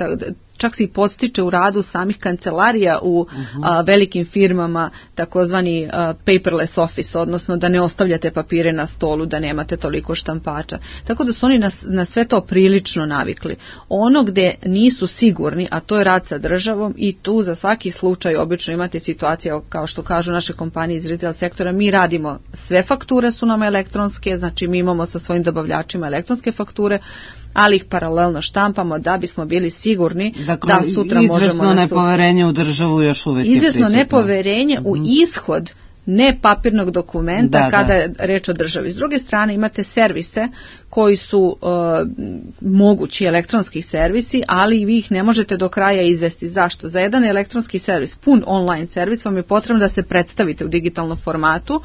čak se i podstiče u radu samih kancelarija u uh-huh. a, velikim firmama, takozvani a, paperless office, odnosno da ne ostavljate papire na stolu, da nemate toliko štampača. Tako da su oni na, na sve to prilično navikli. Ono gde nisu sigurni, a to je rad sa državom, i tu za svaki slučaj obično imate situacija, kao što kažu naše kompanije iz retail sektora, mi radimo, sve fakture su nam elektronske, znači mi imamo sa svojim dobavljačima elektronske fakture, ali ih paralelno štampamo da bismo bili sigurni dakle, da sutra možemo... Izvesno nepoverenje u državu još uvijek je prisutno. Izvesno nepoverenje mm-hmm. u ishod ne papirnog dokumenta da, kada da. je reč o državi. S druge strane imate servise koji su uh, mogući elektronski servisi, ali vi ih ne možete do kraja izvesti. Zašto? Za jedan elektronski servis, pun online servis, vam je potrebno da se predstavite u digitalnom formatu.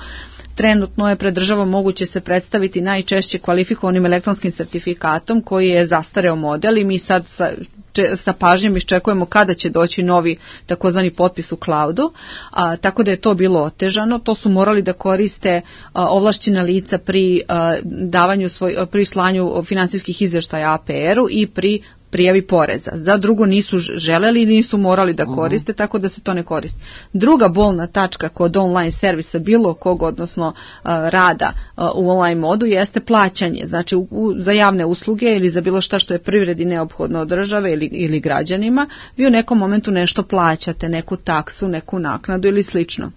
Trenutno je pred državom moguće se predstaviti najčešće kvalifikovanim elektronskim sertifikatom koji je zastareo model i mi sad sa, če, sa pažnjom iščekujemo kada će doći novi takozvani potpis u cloudu, a, tako da je to bilo otežano. To su morali da koriste a, ovlašćena lica pri a, davanju svoj, pri slanju finansijskih izvještaja A P R-u i pri prijavi poreza. Za drugo nisu želeli i nisu morali da koriste, uh-huh. tako da se to ne koristi. Druga bolna tačka kod online servisa bilo kog, odnosno uh, rada uh, u online modu, jeste plaćanje. Znači u, u, za javne usluge ili za bilo šta što je privredi neophodno od države ili, ili građanima, vi u nekom momentu nešto plaćate, neku taksu, neku naknadu ili slično.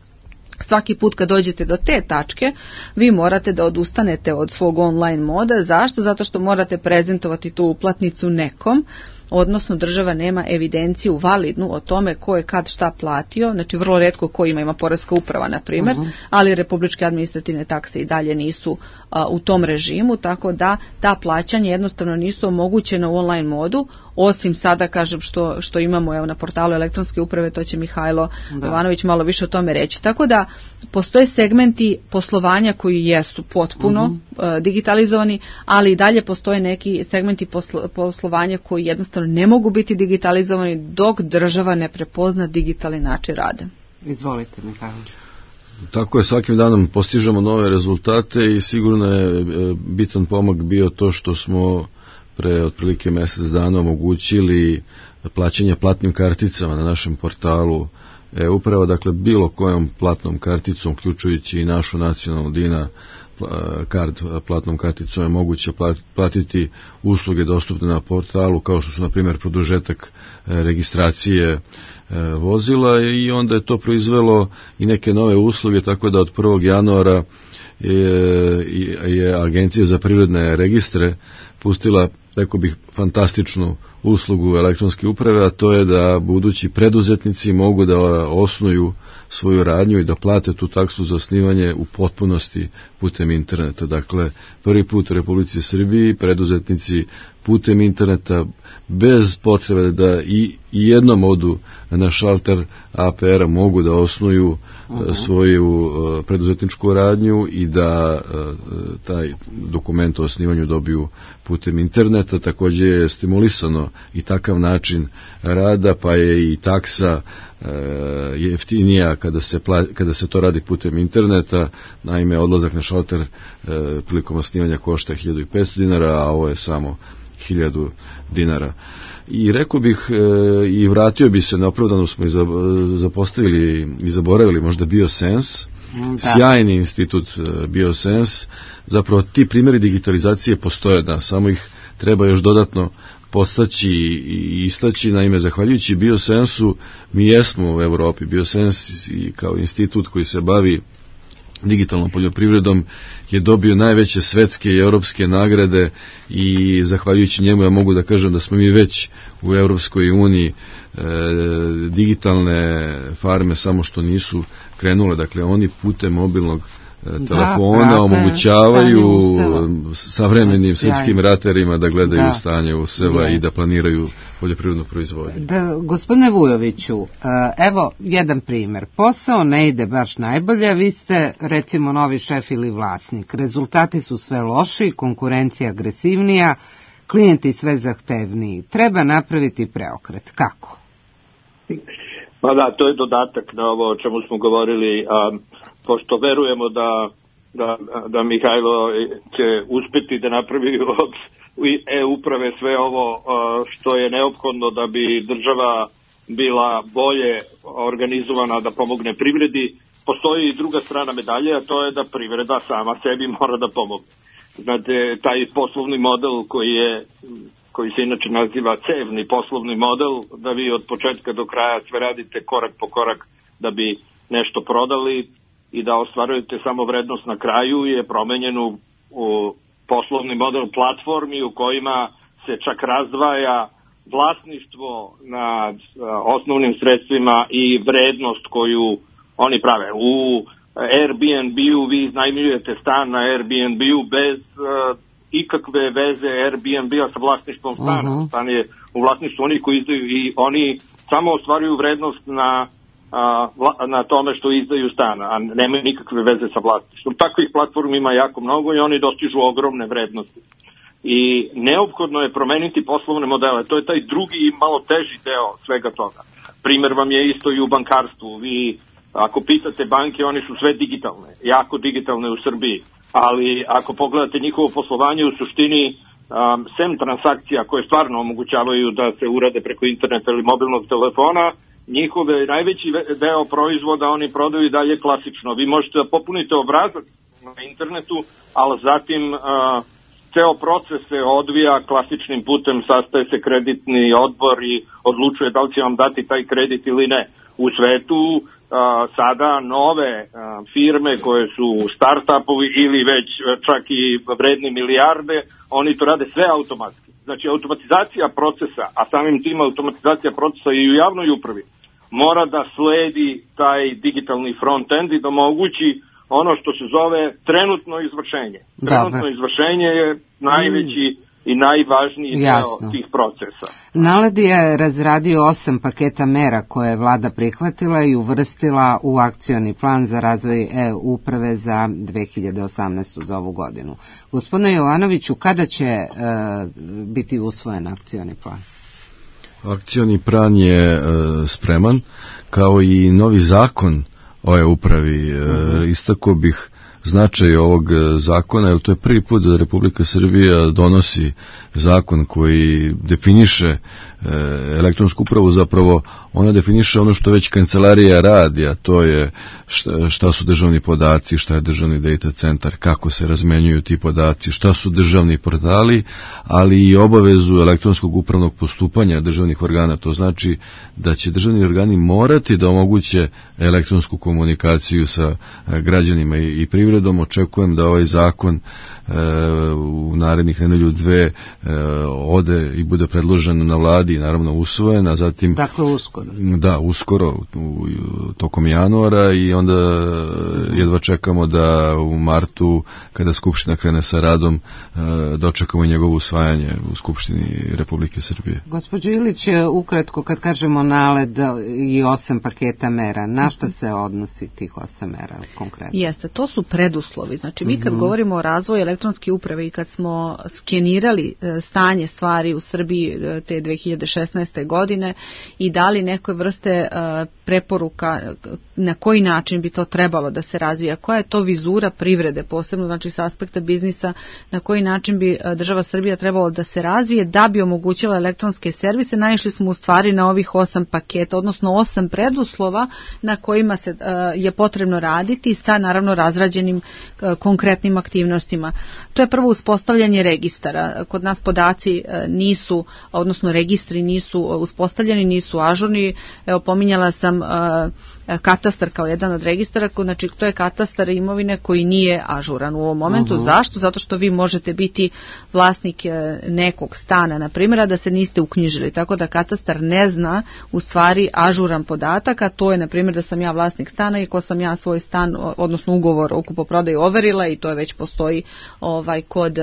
Svaki put kad dođete do te tačke, vi morate da odustanete od svog online moda. Zašto? Zato što morate prezentovati tu uplatnicu nekom, odnosno država nema evidenciju validnu o tome ko je kad šta platio, znači vrlo retko ko ima, ima poreska uprava na primjer, uh-huh. ali republičke administrativne takse i dalje nisu a, u tom režimu, tako da ta plaćanja jednostavno nisu omogućena u online modu, osim sada kažem što, što imamo evo, na portalu elektronske uprave, to će Mihajlo da. Jovanović malo više o tome reći. Tako da postoje segmenti poslovanja koji jesu potpuno uh-huh. uh, digitalizovani, ali i dalje postoje neki segmenti poslo, poslovanja koji jednostavno ne mogu biti digitalizovani dok država ne prepozna digitalni način rada. Izvolite, Mihajlo. Tako je, svakim danom postižemo nove rezultate i sigurno je bitan pomak bio to što smo pre otprilike mjesec dana omogućili plaćanje platnim karticama na našem portalu e-uprava, dakle bilo kojom platnom karticom, uključujući i našu nacionalnu Dina kard platnom karticom je moguće platiti usluge dostupne na portalu, kao što su na primjer produžetak registracije vozila, i onda je to proizvelo i neke nove usluge, tako da od prvog januara je, je Agencija za privredne registre pustila, rekao bih, fantastičnu uslugu elektronske uprave, a to je da budući preduzetnici mogu da osnuju svoju radnju i da plate tu taksu za osnivanje u potpunosti putem interneta. Dakle, prvi put u Republici Srbiji preduzetnici putem interneta bez potrebe da i, i jednom odu na šalter A P R-a mogu da osnuju uh-huh. svoju uh, preduzetničku radnju i da uh, taj dokument o osnivanju dobiju putem interneta. Također je stimulisano i takav način rada, pa je i taksa uh, jeftinija kada se, pla, kada se to radi putem interneta. Naime, odlazak na šalter uh, prilikom osnivanja košta hiljadu petsto dinara, a ovo je samo hiljadu dinara. I rekao bih e, i vratio bi se, neopravdano smo i zapostavili i zaboravili možda BioSense, da. Sjajni institut BioSense. Zapravo ti primjeri digitalizacije postoje, da, samo ih treba još dodatno postaći i istaći. Naime, zahvaljujući BioSensu mi jesmo u Evropi. BioSense kao institut koji se bavi digitalnom poljoprivredom je dobio najveće svetske i europske nagrade i zahvaljujući njemu ja mogu da kažem da smo mi već u Europskoj uniji e, digitalne farme samo što nisu krenule. Dakle, oni putem mobilnog telefona da, omogućavaju savremenim srpskim ratarima da gledaju da. stanje u sela yes. i da planiraju poljoprivrednu proizvodnju. Da, gospodine Vujoviću, evo jedan primjer. Posao ne ide baš najbolje, vi ste recimo novi šef ili vlasnik. Rezultati su sve loši, konkurencija agresivnija, klijenti sve zahtevniji. Treba napraviti preokret. Kako? Pa da, to je dodatak na ovo o čemu smo govorili, a pošto verujemo da, da, da Mihajlo će uspjeti da napravi od e-uprave sve ovo što je neophodno da bi država bila bolje organizovana da pomogne privredi. Postoji i druga strana medalje, a to je da privreda sama sebi mora da pomogne. Znate, taj poslovni model koji je, koji se inače naziva cevni poslovni model, da vi od početka do kraja sve radite korak po korak da bi nešto prodali i da ostvarujete samo vrednost na kraju, je promenjen u, u poslovni model platformi u kojima se čak razdvaja vlasništvo nad a, osnovnim sredstvima i vrednost koju oni prave. U Airbnb-u vi iznajmljujete stan na Airbnb-u bez uh, ikakve veze Airbnb-a sa vlasništvom stana. Uh-huh. Stan je u vlasništvu onih koji izdaju i oni samo ostvaruju vrednost na, uh, na tome što izdaju stana, a nemaju nikakve veze sa vlasništvom. Takvih platformi ima jako mnogo i oni dostižu ogromne vrednosti. I neophodno je promeniti poslovne modele. To je taj drugi i malo teži deo svega toga. Primer vam je isto i u bankarstvu. Vi ako pitate banke, oni su sve digitalne, jako digitalne u Srbiji, ali ako pogledate njihovo poslovanje u suštini, um, sem transakcija koje stvarno omogućavaju da se urade preko interneta ili mobilnog telefona, njihove najveći deo proizvoda oni prodaju i dalje klasično. Vi možete da popunite obrazac na internetu, ali zatim uh, ceo proces se odvija klasičnim putem, sastaje se kreditni odbor i odlučuje da li će vam dati taj kredit ili ne. U svetu Uh, sada nove uh, firme koje su start-upovi ili već uh, čak i vredni milijarde, oni to rade sve automatski. Znači automatizacija procesa, a samim tim automatizacija procesa i u javnoj upravi, mora da sledi taj digitalni front-end i da omogući ono što se zove trenutno izvršenje. Trenutno Dobre. izvršenje je najveći mm. i najvažniji deo tih procesa. NALED je razradio osam paketa mera koje je vlada prihvatila i uvrstila u akcioni plan za razvoj e-uprave za dve hiljade osamnaestu za ovu godinu. Gospodine Jovanoviću, kada će e, biti usvojen akcioni plan? Akcioni plan je e, spreman, kao i novi zakon o e-upravi. E, uh-huh. Istako bih značaj ovog zakona, jer to je prvi put da Republika Srbija donosi zakon koji definiše elektronsku upravu, zapravo ona definiše ono što već kancelarija radi, a to je šta, šta su državni podaci, šta je državni data centar, kako se razmenjuju ti podaci, šta su državni portali, ali i obavezu elektronskog upravnog postupanja državnih organa. To znači da će državni organi morati da omoguće elektronsku komunikaciju sa građanima i, i privredom. Očekujem da ovaj zakon e, u narednih nedelju dve e, ode i bude predložen na vladi, naravno usvojen, a zatim... Dakle, uskoro. Da, uskoro, u, u, tokom januara, i onda jedva čekamo da u martu, kada Skupština krene sa radom, e, dočekamo njegovo usvajanje u Skupštini Republike Srbije. Gospođo Ilić, ukratko, kad kažemo NALED i osam paketa mera, na šta se odnosi tih osam mera konkretno? Jeste, to su preduslovi. Znači, mi kad mm-hmm. govorimo o razvoju elektronske uprave i kad smo skenirali stanje stvari u Srbiji te dve hiljade šesnaeste. godine i dali neke vrste uh, preporuka na koji način bi to trebalo da se razvija, koja je to vizura privrede, posebno znači sa aspekta biznisa, na koji način bi uh, država Srbija trebalo da se razvije da bi omogućila elektronske servise. Naišli smo u stvari na ovih osam paketa, odnosno osam preduslova na kojima se uh, je potrebno raditi sa naravno razrađenim uh, konkretnim aktivnostima. To je prvo uspostavljanje registara. Kod nas podaci uh, nisu, odnosno registri nisu uspostavljeni, nisu ažurni. Evo, pominjala sam uh, katastar kao jedan od registara, znači to je katastar imovine koji nije ažuran u ovom momentu. Uh-huh. Zašto? Zato što vi možete biti vlasnik nekog stana, na primjer, a da se niste uknjižili, tako da katastar ne zna u stvari ažuran podatak, a to je, na primjer, da sam ja vlasnik stana i ko sam ja svoj stan, odnosno ugovor o kupoprodaju overila, i to je već postoji ovaj kod,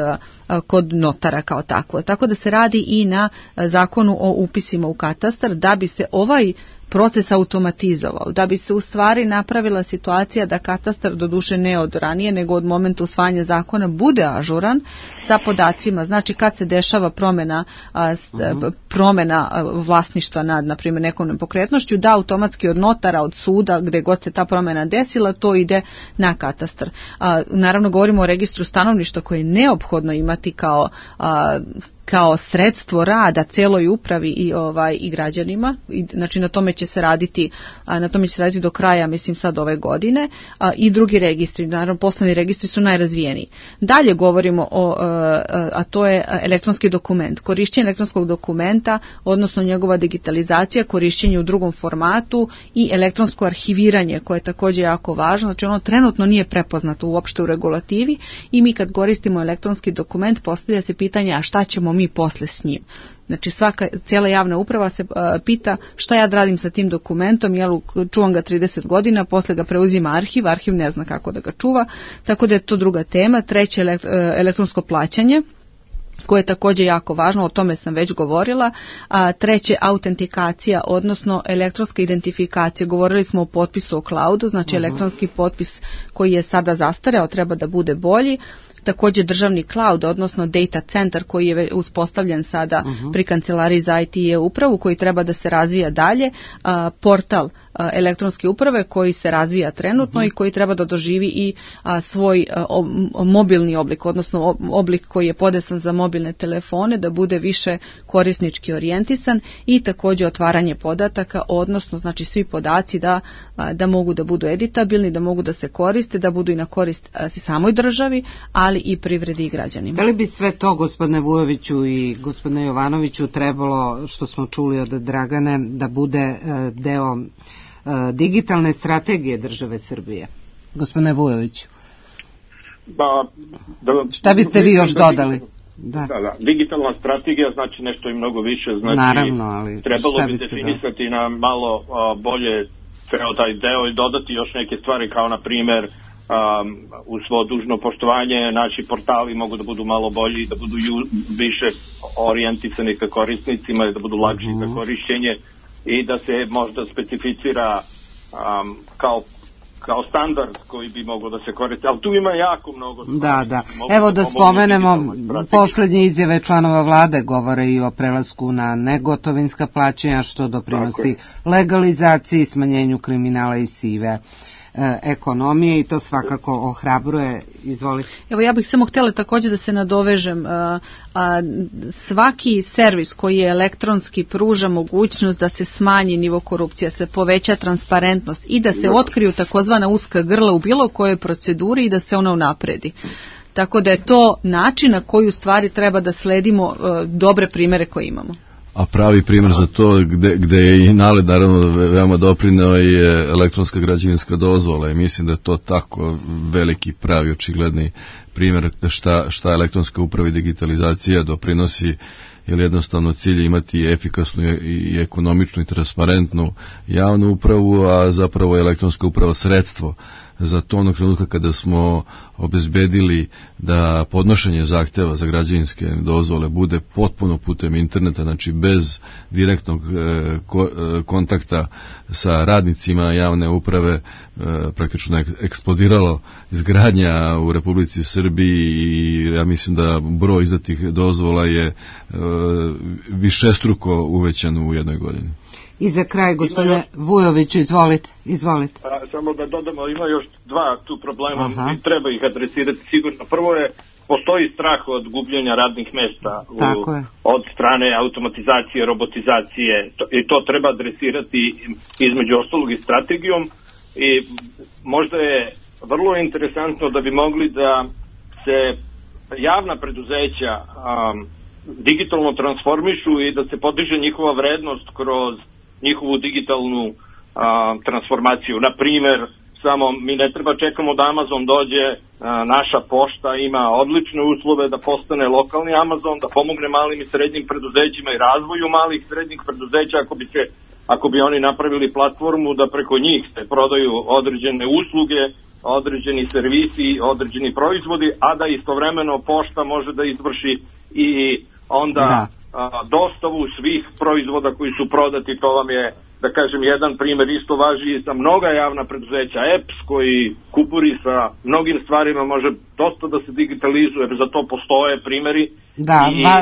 kod notara kao tako. Tako da se radi i na zakonu o upisima u katastar, da bi se ovaj proces automatizovao, da bi se u stvari napravila situacija da katastar, doduše ne od ranije, nego od momenta usvajanja zakona, bude ažuran sa podacima. Znači kad se dešava promjena, a, uh-huh. promjena vlasništva nad, na primjer, nekom nepokretnošću, da automatski od notara, od suda, gdje god se ta promjena desila, to ide na katastar. A, naravno govorimo o registru stanovništva koje je neophodno imati kao a, kao sredstvo rada celoj upravi i ovaj i građanima. I, znači na tome će se raditi, a, na tome će se raditi do kraja, mislim sad ove godine, a, i drugi registri, naravno poslovni registri su najrazvijeniji. Dalje govorimo o, a, a to je elektronski dokument, korišćenje elektronskog dokumenta, odnosno njegova digitalizacija, korišćenje u drugom formatu i elektronsko arhiviranje koje je također jako važno, znači ono trenutno nije prepoznato uopšte u regulativi i mi kad koristimo elektronski dokument postavlja se pitanje a šta ćemo mi posle s njim. Znači svaka, cijela javna uprava se uh, pita šta ja radim sa tim dokumentom, jel čuvam ga trideset godina, posle ga preuzima arhiv, arhiv ne zna kako da ga čuva, tako da je to druga tema. Treće, elekt, uh, elektronsko plaćanje, koje je također jako važno, o tome sam već govorila. A, treće, autentikacija, odnosno elektronska identifikacija. Govorili smo o potpisu o cloudu, znači uh-huh. elektronski potpis koji je sada zastareo, treba da bude bolji. Također državni cloud, odnosno data center koji je uspostavljen sada uh-huh. pri kancelariji za I T i upravu, koji treba da se razvija dalje, a, portal a, elektronske uprave koji se razvija trenutno uh-huh. i koji treba da doživi i a, svoj a, o, mobilni oblik, odnosno oblik koji je podesan za mobilne telefone, da bude više korisnički orijentisan i također otvaranje podataka, odnosno znači svi podaci da, a, da mogu da budu editabilni, da mogu da se koriste, da budu i na korist a, samoj državi, ali i privredi i građanima. Da li bi sve to, gospodine Vujoviću i gospodine Jovanoviću, trebalo, što smo čuli od Dragane, da bude deo digitalne strategije države Srbije? Gospodine Vujoviću. Ba, da, šta biste vi još dodali? Da. Da, da. Digitalna strategija znači nešto i mnogo više. Znači, naravno, ali trebalo bi definisati da? na malo a, bolje ceo taj deo i dodati još neke stvari kao na primjer Um, uz svo dužno poštovanje naši portali mogu da budu malo bolji, da budu ju, više orijentisani ka korisnicima i da budu lakši uh-huh. za korišćenje i da se možda specificira um, kao kao standard koji bi mogao da se koristi, ali tu ima jako mnogo stvari. Da, da. Evo da spomenemo posljednje izjave članova vlade govore i o prelasku na negotovinska plaćanja, što doprinosi legalizaciji, smanjenju kriminala i sive ekonomije i to svakako ohrabruje. Izvolite. Evo ja bih samo htjela također da se nadovežem. A, a, svaki servis koji je elektronski pruža mogućnost da se smanji nivo korupcije, se poveća transparentnost i da se otkriju takozvana uska grla u bilo kojoj proceduri i da se ona unapredi. Tako da je to način na koji u stvari treba da sledimo uh, dobre primjere koje imamo. A pravi primjer za to gde, gde je i NALED naravno veoma doprineo je elektronska građevinska dozvola i mislim da je to tako veliki, pravi, očigledni primjer šta, šta elektronska uprava i digitalizacija doprinosi, jer jednostavno cilj je imati efikasnu i ekonomičnu i transparentnu javnu upravu, a zapravo je elektronska uprava sredstvo za to onog trenutka kada smo obezbedili da podnošenje zahteva za građevinske dozvole bude potpuno putem interneta, znači bez direktnog e, ko, e, kontakta sa radnicima javne uprave, e, praktično je eksplodiralo izgradnja u Republici Srbiji i ja mislim da broj izdatih dozvola je e, višestruko uvećan u jednoj godini. I za kraj, gospodine Vujoviću, izvolite, izvolite. A, samo da dodamo, ima još dva tu problema i treba ih adresirati sigurno. Prvo je, postoji strah od gubljenja radnih mesta u, od strane automatizacije, robotizacije to, i to treba adresirati između ostalog i strategijom i možda je vrlo interesantno da bi mogli da se javna preduzeća um, digitalno transformišu i da se podiže njihova vrednost kroz njihovu digitalnu a, transformaciju. Na primjer, samo mi ne treba čekamo da Amazon dođe, a, naša pošta ima odlične uslove da postane lokalni Amazon, da pomogne malim i srednjim preduzećima i razvoju malih i srednjih preduzeća ako bi se, ako bi oni napravili platformu da preko njih se prodaju određene usluge, određeni servisi, određeni proizvodi, a da istovremeno pošta može da izvrši i onda da. dostavu svih proizvoda koji su prodati. To vam je, da kažem, jedan primer. Isto važi i za mnoga javna preduzeća. E P S koji kuburi sa mnogim stvarima može dosta da se digitalizuje, za to postoje primeri. Da, I... va,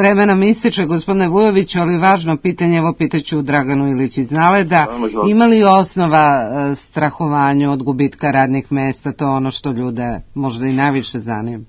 vreme nam ističe, gospodine Vujoviću, ali važno pitanje, evo pitaću Draganu Ilić iz Naleda, ima li osnova strahovanju od gubitka radnih mesta, to ono što ljude možda i najviše zanima?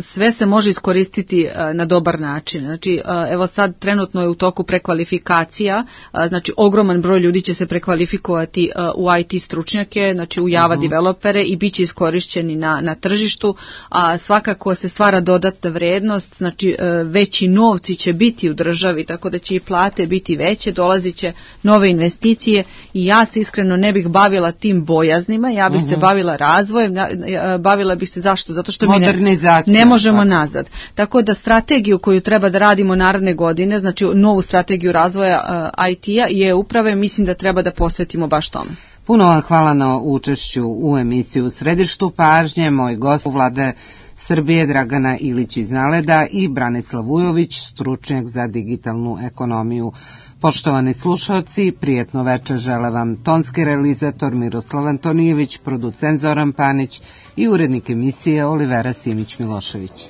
Sve se može iskoristiti na dobar način. Znači, evo sad trenutno je u toku prekvalifikacija, znači ogroman broj ljudi će se prekvalifikovati u I T stručnjake, znači u Java uh-huh. developere i bit će iskorišćeni na, na tržištu, a svakako se stvara dodatna vrednost, znači veći novci će biti u državi, tako da će i plate biti veće, dolazit će nove investicije i ja se iskreno ne bih bavila tim bojaznima, ja bih uh-huh. se bavila razvojem, bavila bih se zašto? Zato što mi ne Ne možemo tako. nazad. Tako da strategiju koju treba da radimo naredne godine, znači novu strategiju razvoja uh, I T-a i e-uprave, mislim da treba da posvetimo baš tome. Puno vam hvala na učešću u emisiju U središtu pažnje. Moj gost Vlade Srbije Dragana Ilić iz Naleda i Branislav Vujović, stručnjak za digitalnu ekonomiju. Poštovani slušalci, prijetno večer žele vam tonski realizator Miroslav Antonijević, producent Zoran Panić i urednik emisije Olivera Simić-Milošević.